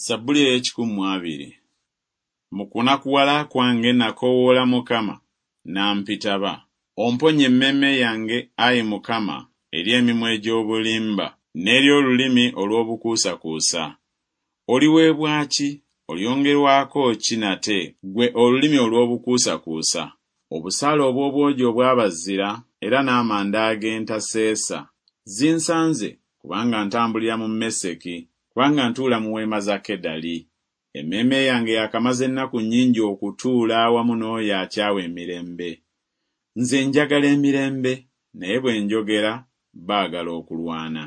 Zabbuli ey'ekikumi mu abiri. Mu kunakuwala kwange nakoowoola Mukama, n'ampitaba. Omponye emmeeme yange, ayi Mukama, eri emimwa egy'obulimba, n'eri olulimi olw'obukuusakuusa. Oliweebwa ki, olyongerwako ki nate, ggwe olulimi olw'obukuusakuusa? Obusaale obw'obwogi obw'abazira era n'amanda ag'entaseesa. Zinsanze, kubanga ntambulira mu Meseki, kubanga ntuula mu weema za Kedali! Emmeeme yange yaakamaze ennaku nnyingi okutuula awamu n'oyo akyawa emirembe. Nze njagala emirembe, naye bwe njogera, baagala okulwana.